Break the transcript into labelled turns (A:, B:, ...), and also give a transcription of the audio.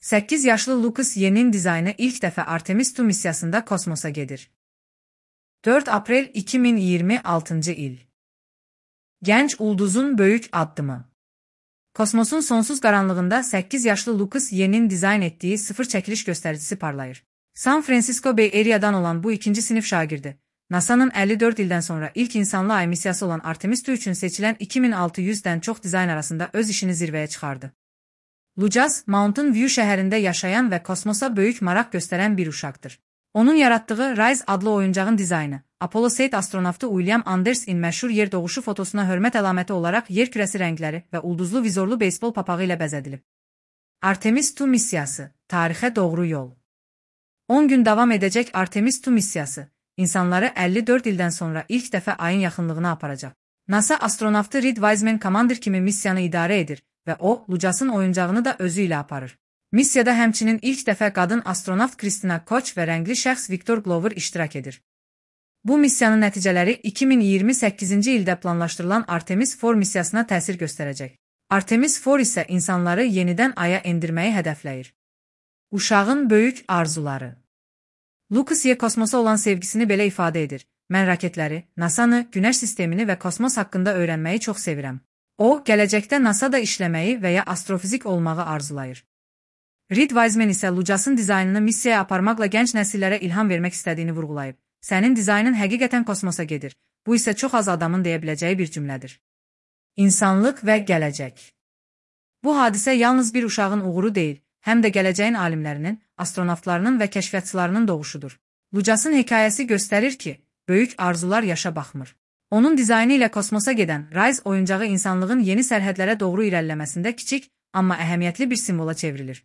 A: 8 yaşlı Lucas Ye'nin dizaynı ilk dəfə Artemis II missiyasında kosmosa gedir. 4 Aprel 2026 il. Gənc ulduzun böyük addımı. Kosmosun sonsuz qaranlığında 8 yaşlı Lucas Ye'nin dizayn etdiyi sıfır çəkiliş göstəricisi parlayır. San Francisco Bay Area'dan olan bu ikinci sinif şagirdi. NASA'nın 54 ildən sonra ilk insanlı ay missiyası olan Artemis II üçün seçilən 2600-dən çox dizayn arasında öz işini zirvəyə çıxardı. Lucas, Mountain View şəhərində yaşayan və kosmosa böyük maraq göstərən bir uşaqdır. Onun yaratdığı Rise adlı oyuncağın dizaynı, Apollo 8 astronavtı William Anders'in məşhur yer doğuşu fotosuna hörmət əlaməti olaraq yer kürəsi rəngləri və ulduzlu vizorlu beysbol papağı ilə bəzədilib. Artemis II missiyası, tarixə doğru yol. 10 gün davam edəcək Artemis II missiyası, insanları 54 ildən sonra ilk dəfə ayın yaxınlığına aparacaq. NASA astronavtı Reed Wiseman Commander kimi missiyanı idarə edir və o, Lucas'ın oyuncağını da özü ilə aparır. Missiyada həmçinin ilk dəfə qadın astronavt Christina Koch və rəngli şəxs Victor Glover iştirak edir. Bu missiyanın nəticələri 2028-ci ildə planlaşdırılan Artemis IV missiyasına təsir göstərəcək. Artemis IV isə insanları yenidən aya endirməyi hədəfləyir. Uşağın böyük arzuları. Lucas Ye kosmosa olan sevgisini belə ifadə edir. Mən raketləri, NASA'nı, Günəş sistemini və kosmos haqqında öyrənməyi çox sevirəm. O, gələcəkdə NASA'da işləməyi və ya astrofizik olmağı arzulayır. Reed Wiseman isə Lucas'ın dizaynını missiyaya aparmaqla gənc nəsillərə ilham vermək istədiyini vurğulayıb. Sənin dizaynın həqiqətən kosmosa gedir. Bu isə çox az adamın deyə biləcəyi bir cümlədir. İnsanlıq və gələcək. Bu hadisə yalnız bir uşağın uğuru deyil, həm də gələcəyin alimlərinin, astronavtlarının və kəşfiyyatçılarının doğuşudur. Lucas'ın hekayəsi göstərir ki, böyük arzular yaşa baxmır. Onun dizaynı ilə kosmosa gedən Rise oyuncağı insanlığın yeni sərhədlərə doğru irəliləməsində kiçik, amma əhəmiyyətli bir simvola çevrilir.